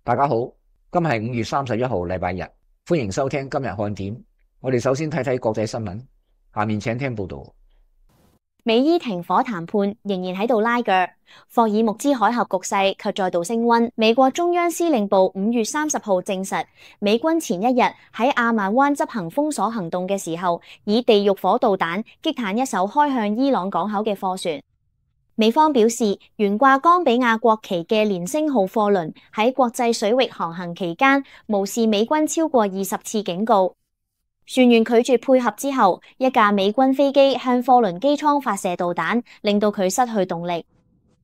大家好，今日係5月31號，禮拜日，歡迎收聽今日看點。我哋首先睇睇國際新聞，下面請聽報道。美伊停火談判仍然喺度拉鋸，霍爾木茲海峽局勢卻再度升溫。美國中央司令部5月30號證實，美軍前一日喺亞曼灣執行封鎖行動嘅時候，以地獄火導彈擊彈一艘開向伊朗港口嘅貨船。美方表示，懸掛岡比亞國旗嘅連星號貨輪喺國際水域航行期間，無視美軍超過20次警告。船員拒絕配合之後，一架美軍飛機向貨輪機艙發射導彈，令到佢失去動力。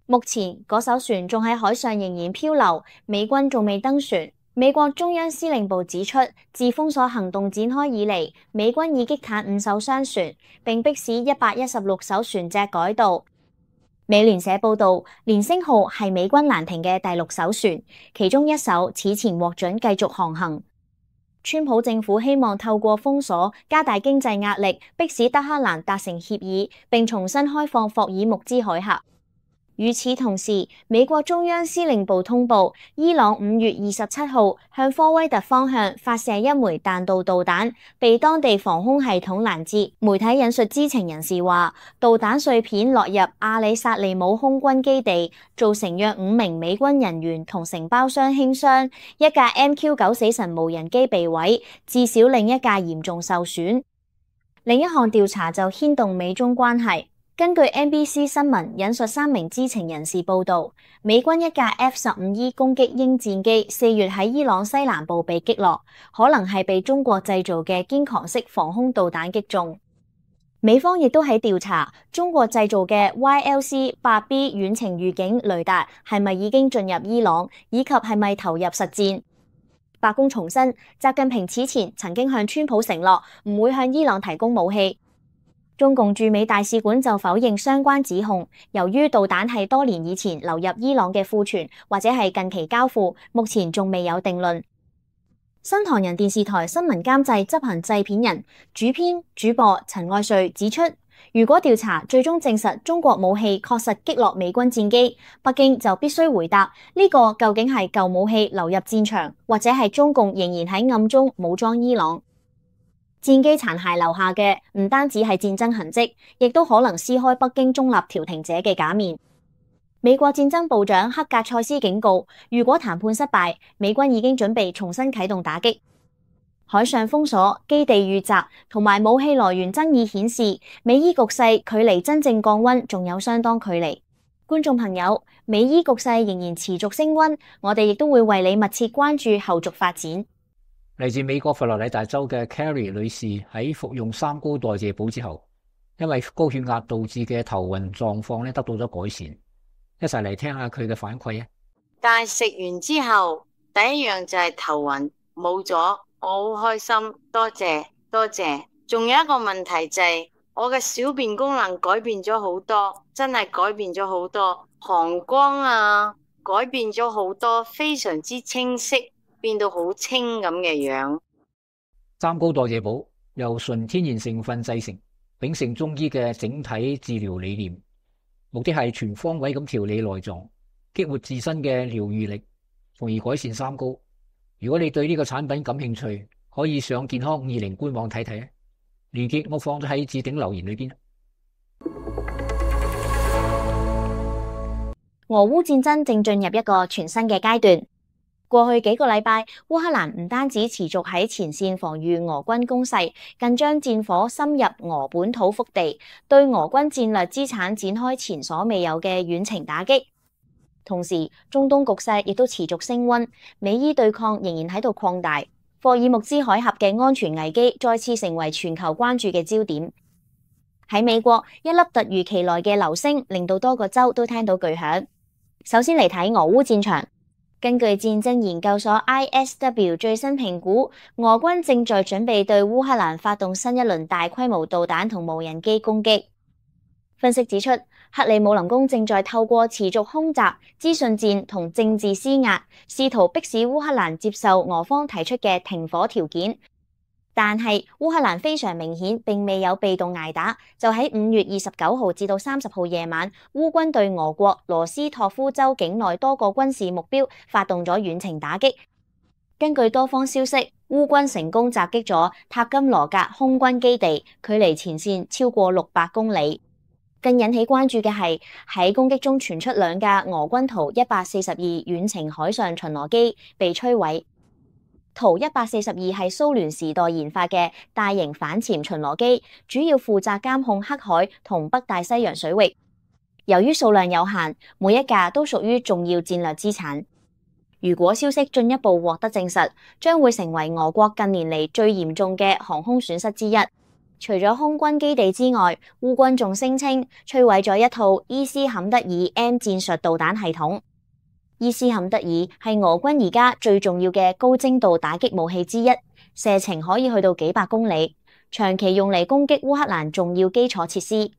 目前嗰艘船仲喺海上仍然漂流，美軍仲未登船。美國中央司令部指出，自封鎖行動展開以嚟，美軍已擊탄5艘商船，並迫使116艘船隻改道。美聯社報道，連星號係美軍攔停嘅第6艘船，其中一艘此前獲准繼續航行。川普政府希望透過封鎖加大經濟壓力，迫使德黑蘭達成協議，並重新開放霍爾木茲海峽。與此同時，美國中央司令部通報，伊朗5月27號向科威特方向發射一枚彈道導彈，被當地防空系統攔截。媒體引述知情人士話，導彈碎片落入阿里薩利姆空軍基地，造成約5名美軍人員同承包商輕傷，一架 MQ-9 死神無人機被毀，至少另一架嚴重受損。另一項調查就牽動美中關係。根據 NBC 新聞引述3名知情人士報道，美軍一架 F-15E 攻擊鷹戰機4月喺伊朗西南部被擊落，可能係被中國製造嘅肩扛式防空導彈擊中。美方亦都喺調查中國製造嘅 YLC-8B 遠程預警雷達係咪已經進入伊朗，以及係咪投入實戰。白宮重申，習近平此前曾經向川普承諾唔會向伊朗提供武器。中共駐美大使館就否認相關指控，由於導彈係多年以前流入伊朗嘅庫存，或者係近期交付，目前仲未有定論。新唐人電視台新聞監製執行製片人、主編、主播陳愛瑞指出，如果調查最終證實中國武器確實擊落美軍戰機，北京就必須回答呢個究竟係舊武器流入戰場，或者係中共仍然喺暗中武裝伊朗。戰機殘骸留下嘅唔單止係戰爭痕跡，亦都可能撕開北京中立調停者嘅假面。美國戰爭部長克格塞斯警告，如果談判失敗，美軍已經準備重新啟動打擊。海上封鎖、基地遇襲同埋武器來源爭議顯示，美伊局勢距離真正降溫仲有相當距離。觀眾朋友，美伊局勢仍然持續升溫，我哋亦都會為你密切關注後續發展。嚟自美國佛羅里達州嘅 Carrie 女士喺服用三高代謝補之後，因為高血壓導致嘅頭暈狀況得到咗改善。一齊嚟聽下佢嘅反饋啊！但係食完之後，第一樣就係頭暈冇咗，我好開心，多謝多謝。仲有一個問題就係我嘅小便功能改變咗好多，真係改變咗好多，膀胱啊改變咗好多，非常之清晰。變到好清咁嘅樣。三高代謝補由純天然成分製成，秉承中醫嘅整體治療理念，目的係全方位咁調理內臟，激活自身嘅療癒力，從而改善三高。如果你對呢個產品感興趣，可以上健康520官網睇睇啊，鏈接我放咗喺置頂留言裏邊。俄烏戰爭正進入一個全新嘅階段。過去幾個禮拜，烏克蘭唔單止持續喺前線防禦俄軍攻勢，更將戰火深入俄本土腹地，對俄軍戰略資產展開前所未有嘅遠程打擊。同時，中東局勢亦都持續升溫，美伊對抗仍然喺度擴大，霍爾木茲海峽嘅安全危機再次成為全球關注嘅焦點。喺美國，一粒突如其來嘅流星令到多個州都聽到巨響。首先嚟睇俄烏戰場。根據戰爭研究所 ISW 最新評估，俄軍正在準備對烏克蘭發動新一輪大規模導彈同無人機攻擊。分析指出，克里姆林宮正在透過持續空襲、資訊戰同政治施壓，試圖迫使烏克蘭接受俄方提出嘅停火條件。但係烏克蘭非常明顯並未有被動捱打，就喺5月29號至到30號夜晚，烏軍對俄國羅斯托夫州境內多個軍事目標發動咗遠程打擊。根據多方消息，烏軍成功襲擊咗塔金羅格空軍基地，距離前線超過600公里。更引起關注嘅係喺攻擊中傳出2架俄軍圖142遠程海上巡邏機被摧毀。圖142係蘇聯時代研發嘅大型反潛巡邏機，主要負責監控黑海同北大西洋水域。由於數量有限，每一架都屬於重要戰略資產。如果消息進一步獲得證實，將會成為俄國近年嚟最嚴重嘅航空損失之一。除咗空軍基地之外，烏軍仲聲稱摧毀咗一套伊斯坎德爾 M 戰術導彈系統。伊斯坎德爾係俄軍而家最重要嘅高精度打擊武器之一，射程可以去到幾百公里，長期用嚟攻擊烏克蘭重要基礎設施。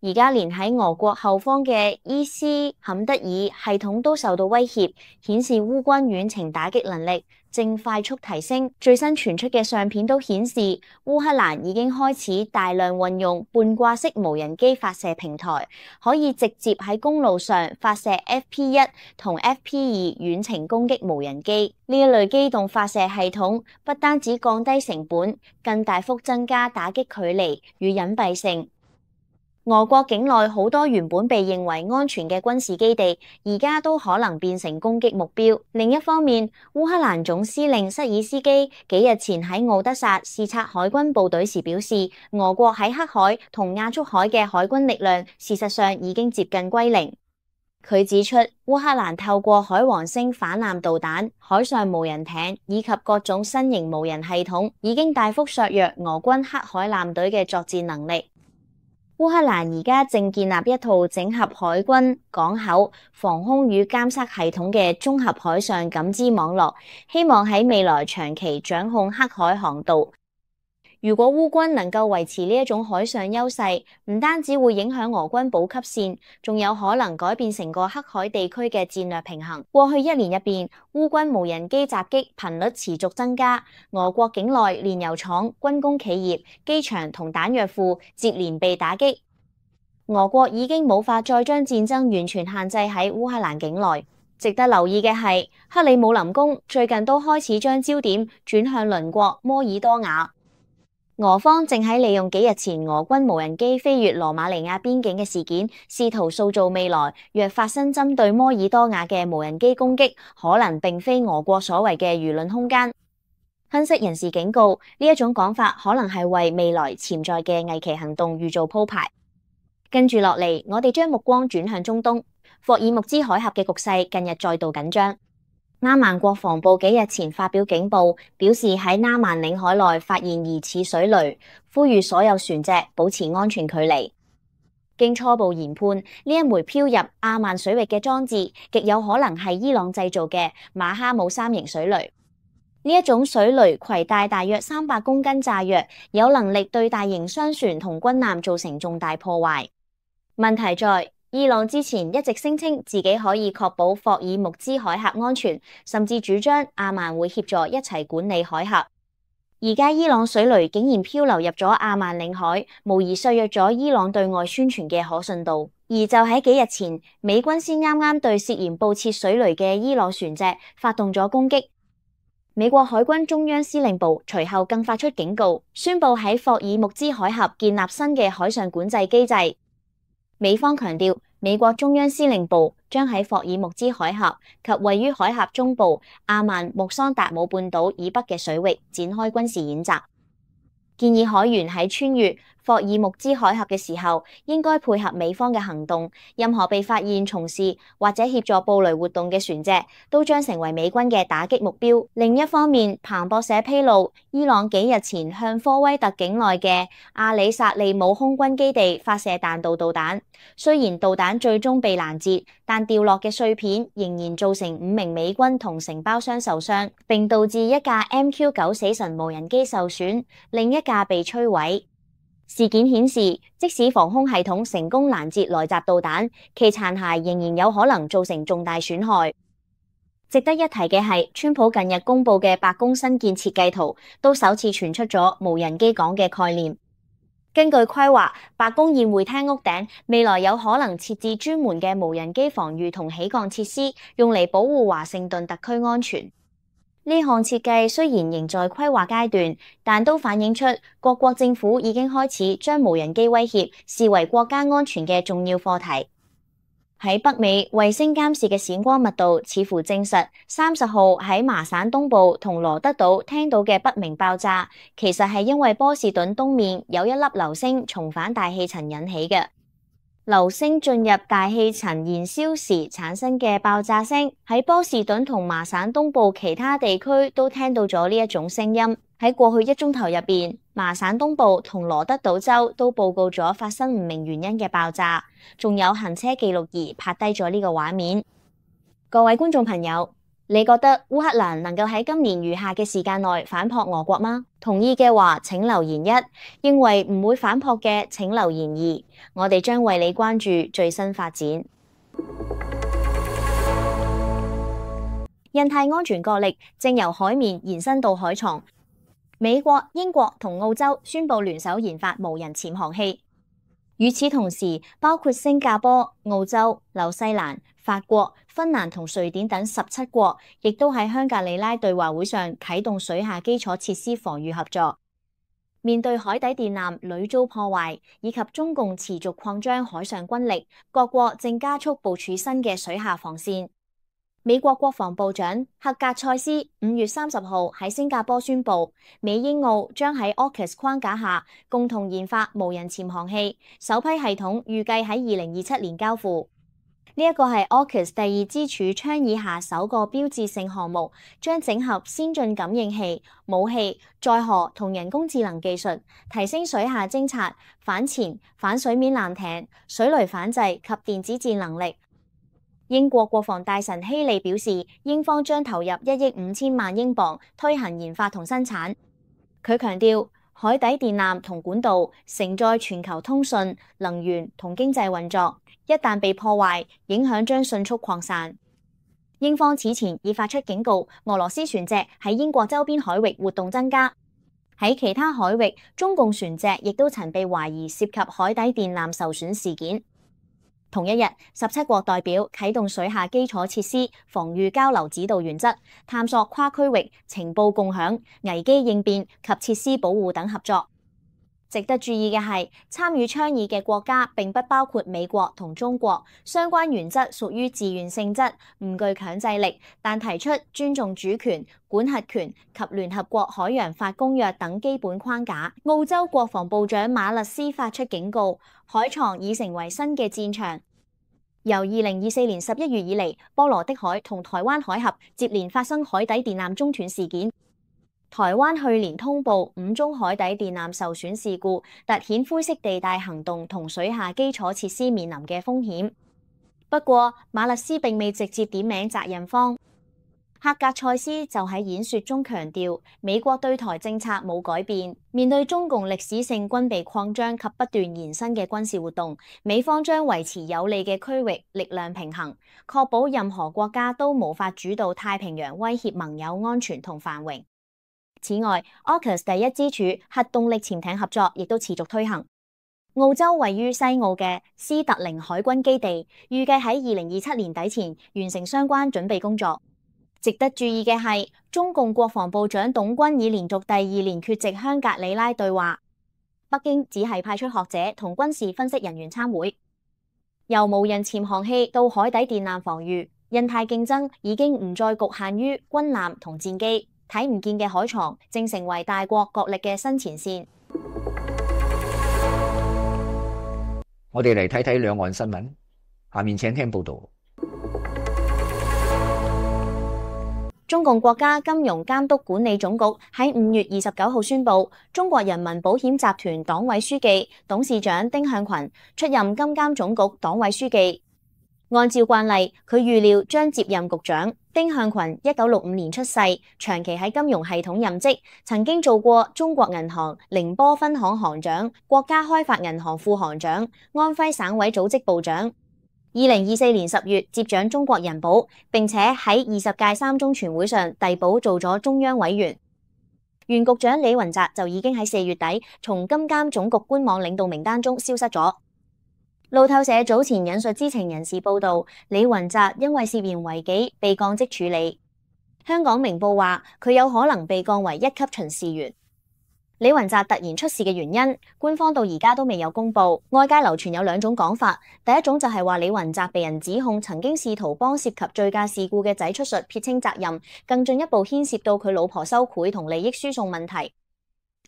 而家連喺俄國後方嘅伊斯坎德爾系統都受到威脅，顯示烏軍遠程打擊能力正快速提升。最新傳出嘅相片都顯示，烏克蘭已經開始大量運用半掛式無人機發射平台，可以直接喺公路上發射 FP1 同 FP2 遠程攻擊無人機。呢一類機動發射系統不單止降低成本，更大幅增加打擊距離與隱蔽性。俄國境內好多原本被認為安全嘅軍事基地，而家都可能變成攻擊目標。另一方面，烏克蘭總司令瑟爾斯基幾日前喺敖德薩視察海軍部隊時表示，俄國喺黑海同亞速海嘅海軍力量事實上已經接近歸零。佢指出，烏克蘭透過海王星反艦導彈、海上無人艇以及各種新型無人系統，已經大幅削弱俄軍黑海艦隊嘅作戰能力。烏克蘭而家正建立一套整合海軍、港口、防空與監測系統嘅綜合海上感知網絡，希望喺未來長期掌控黑海航道。如果烏軍能夠維持呢一種海上優勢，唔單止會影響俄軍補給線，仲有可能改變成個黑海地區嘅戰略平衡。過去1年入邊，烏軍無人機襲擊頻率持續增加，俄國境內煉油廠、軍工企業、機場同彈藥庫接連被打擊。俄國已經無法再將戰爭完全限制喺烏克蘭境內。值得留意嘅係，克里姆林宮最近都開始將焦點轉向鄰國摩爾多瓦。俄方正喺利用幾日前俄軍無人機飛越羅馬尼亞邊境嘅事件，試圖塑造未來若發生針對摩爾多瓦嘅無人機攻擊，可能並非俄國所謂嘅輿論空間。分析人士警告，呢一種講法可能係為未來潛在嘅危奇行動預做鋪排。跟住落嚟，我哋將目光轉向中東，霍爾木茲海峽嘅局勢近日再度緊張。阿曼國防部幾日前發表警報，表示喺阿曼領海內發現疑似水雷，呼籲所有船隻保持安全距離。經初步研判，呢一枚飄入阿曼水域嘅裝置，極有可能係伊朗製造嘅馬哈姆3型水雷。呢一種水雷攜帶大約300公斤炸藥，有能力對大型商船同軍艦造成重大破壞。問題在，伊朗之前一直聲稱自己可以確保霍爾木茲海峽安全，甚至主張阿曼會協助一齊管理海峽。而家伊朗水雷竟然漂流入咗阿曼領海，無疑削弱咗伊朗對外宣傳嘅可信度。而就喺幾日前，美軍先啱啱對涉嫌佈設水雷嘅伊朗船隻發動咗攻擊。美國海軍中央司令部隨後更發出警告，宣布喺霍爾木茲海峽建立新嘅海上管制機制。美方強調，美國中央司令部將喺霍爾木茲海峽及位於海峽中部阿曼穆桑達姆半島以北嘅水域展開軍事演習，建議海員喺穿越霍爾木茲海峽嘅時候，應該配合美方嘅行動。任何被發現從事或者協助布雷活動嘅船隻，都將成為美軍嘅打擊目標。另一方面，彭博社披露，伊朗幾日前向科威特境內嘅阿里薩利姆空軍基地發射彈道導彈。雖然導彈最終被攔截，但掉落嘅碎片仍然造成5名美軍同承包商受傷，並導致一架 MQ-9 死神無人機受損，另一架被摧毀。事件顯示，即使防空系統成功攔截來襲導彈，其殘骸仍然有可能造成重大損害。值得一提嘅係，川普近日公布嘅白宮新建設計圖，都首次傳出咗無人機港嘅概念。根據規劃，白宮宴會廳屋頂未來有可能設置專門嘅無人機防禦同起降設施，用嚟保護華盛頓特區安全。呢項設計雖然仍在規劃階段，但都反映出各國政府已經開始將無人機威脅視為國家安全嘅重要課題。喺北美，衛星監視嘅閃光密度似乎證實30號喺麻省東部同羅德島聽到嘅不明爆炸，其實係因為波士頓東面有一粒流星重返大氣層引起嘅。流星進入大氣層燃燒時產生嘅爆炸聲，喺波士頓同麻省東部其他地區都聽到咗呢一種聲音。喺過去1鐘頭入邊，麻省東部同羅德島州都報告咗發生唔明原因嘅爆炸，仲有行車記錄儀拍低咗呢個畫面。各位觀眾朋友，你覺得烏克蘭能夠喺今年餘下嘅時間內反撲俄國嗎？同意嘅話請留言1，認為唔會反撲嘅請留言2，我哋將為你關注最新發展。印太安全角力正由海面延伸到海床。美國、英國同澳洲宣布聯手研發無人潛航器。與此同時，包括新加坡、澳洲、紐西蘭、法國、芬蘭同瑞典等17國，亦都喺香格里拉對話會上啟動水下基礎設施防禦合作。面對海底電纜屢遭破壞，以及中共持續擴張海上軍力，各國正加速部署新嘅水下防線。美國國防部長赫格塞斯5月30號喺新加坡宣布，美英澳將喺 AUKUS 框架下共同研發無人潛航器，首批系統預計喺2027年交付。呢一個係 AUKUS 第2支柱倡議下首個標誌性項目，將整合先進感應器、武器、載荷同人工智能技術，提升水下偵察、反潛、反水面艦艇、水雷反制及電子戰能力。英國國防大臣希利表示，英方將投入1億5千萬英鎊推行研發同生產。佢強調，海底電纜同管道承載全球通訊、能源同經濟運作，一旦被破壞，影響將迅速擴散。英方此前已發出警告，俄羅斯船隻喺英國周邊海域活動增加。喺其他海域，中共船隻亦都曾被懷疑涉及海底電纜受損事件。同一日，17國代表啟動水下基礎設施防禦交流指導原則，探索跨區域情報共享、危機應變及設施保護等合作。值得注意嘅係，參與倡議嘅國家並不包括美國同中國，相關原則屬於自願性質，唔具強制力，但提出尊重主權、管轄權及聯合國海洋法公約等基本框架。澳洲國防部長馬勒斯發出警告，海床已成為新嘅戰場。由2024年11月以嚟，波羅的海同台灣海峽接連發生海底電纜中斷事件。台灣去年通報5宗海底電纜受損事故，凸顯灰色地帶行動同水下基礎設施面臨嘅風險。不過，馬勒斯並未直接點名責任方。赫格塞斯就喺演說中強調，美國對台政策冇改變。面對中共歷史性軍備擴張及不斷延伸嘅軍事活動，美方將維持有利嘅區域力量平衡，確保任何國家都無法主導太平洋，威脅盟友安全同繁榮。此外，AUKUS 第1支柱核動力潛艇合作亦都持續推行。澳洲位於西澳嘅斯特靈海軍基地，預計喺2027年底前完成相關準備工作。值得注意嘅係，中共國防部長董軍已連續第2年缺席香格里拉對話，北京只係派出學者同軍事分析人員參會。由無人潛航器到海底電纜防禦，印太競爭已經唔再局限於軍艦同戰機。睇唔見嘅海床正成為大國角力嘅新前線。我哋嚟睇睇兩岸新聞，下面請聽報道。中共國家金融監督管理總局喺5月29號宣布，中國人民保險集團黨委書記、董事長丁向群出任金監總局黨委書記。按照慣例，佢預料將接任局長。丁向群1965年出世，長期喺金融系統任職，曾經做過中國銀行寧波分行行長、國家開發銀行副行長、安徽省委組織部長。2024年10月接掌中國人保，並且喺20屆三中全會上遞補做咗中央委員。原局長李雲澤就已經喺4月底從金監總局官網領導名單中消失咗。路透社早前引述知情人士報道，李雲澤因為涉嫌違紀被降職處理。香港明報話佢有可能被降為1級巡視員。李雲澤突然出事嘅原因，官方到而家都未有公布。外界流傳有2種講法，第一種就係話李雲澤被人指控曾經試圖幫涉及醉駕事故嘅仔出術撇清責任，更進一步牽涉到佢老婆收賄同利益輸送問題。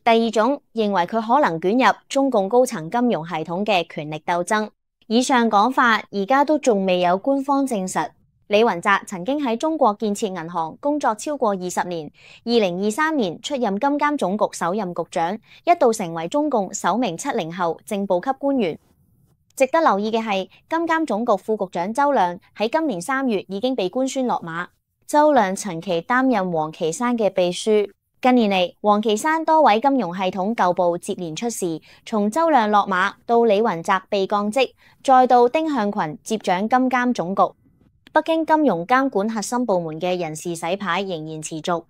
第二種認為佢可能捲入中共高層金融系統嘅權力鬥爭。以上講法而家都仲未有官方證實。李雲澤曾經喺中國建設銀行工作超過20年，2023年出任金監總局首任局長，一度成為中共首名70後正部級官員。值得留意嘅係，金監總局副局長周亮喺今年3月已經被官宣落馬。周亮長期擔任王岐山嘅秘書。近年嚟，王岐山多位金融系統舊部接連出事，從周亮落馬到李雲澤被降職，再到丁向群接掌金監總局，北京金融監管核心部門嘅人事洗牌仍然持續。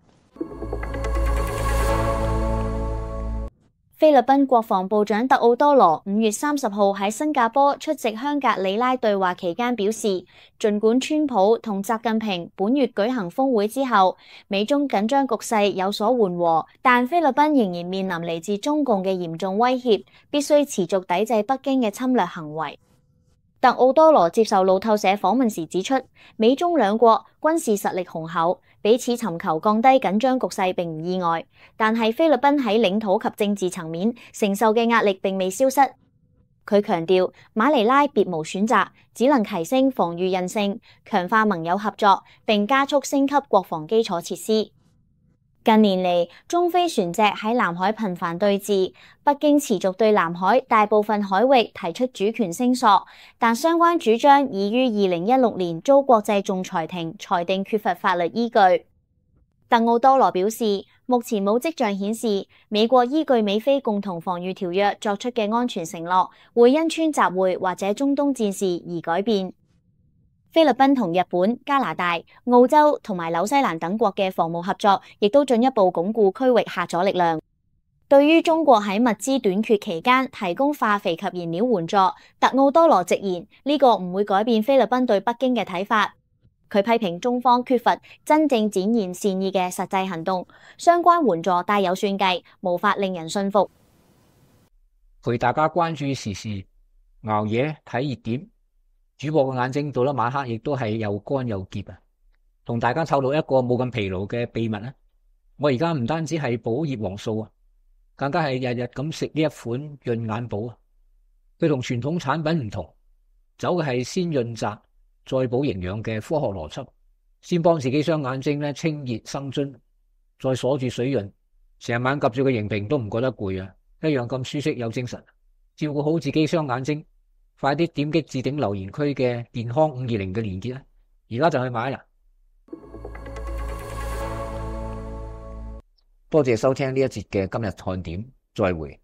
菲律賓國防部長特奧多羅5月30號喺新加坡出席香格里拉對話期間表示，儘管川普同習近平本月舉行峰會之後，美中緊張局勢有所緩和，但菲律賓仍然面臨嚟自中共嘅嚴重威脅，必須持續抵制北京嘅侵略行為。特奧多羅接受路透社訪問時指出，美中兩國軍事實力雄厚，彼此尋求降低緊張局勢並唔意外，但係菲律賓喺領土及政治層面承受嘅壓力並未消失。佢強調，馬尼拉別無選擇，只能提升防禦韌性，強化盟友合作，並加速升級國防基礎設施。近年嚟，中菲船隻喺南海頻繁對峙，北京持續對南海大部分海域提出主權聲索，但相關主張已於2016年遭國際仲裁庭裁定缺乏法律依據。特奧多羅表示，目前冇跡象顯示美國依據美菲共同防禦條約作出嘅安全承諾會因川習會或者中東戰事而改變。菲律賓同日本、加拿大、澳洲同埋紐西蘭等國嘅防務合作，亦都進一步鞏固區域嚇阻力量。對於中國喺物資短缺期間提供化肥及燃料援助，特奧多羅直言呢個唔會改變菲律賓對北京嘅睇法。佢批評中方缺乏真正展現善意嘅實際行動，相關援助帶有算計，無法令人信服。陪大家關注時事，熬夜睇熱點。主播嘅眼睛到咗晚黑亦都係又乾又澀啊！同大家透露一個冇咁疲勞嘅秘密啊！我而家唔單止係補葉黃素啊，更加係日日咁食呢一款潤眼寶啊！佢同傳統產品唔同，走嘅係先潤澤再補營養嘅科學邏輯，先幫自己雙眼睛咧清熱生津，再鎖住水潤，成晚及住個螢屏都唔覺得攰啊！一樣咁舒適有精神，照顧好自己雙眼睛。快啲點擊置頂留言區嘅健康520嘅連結啦！而家就去買啦！多謝收聽呢一節嘅今日看點，再會。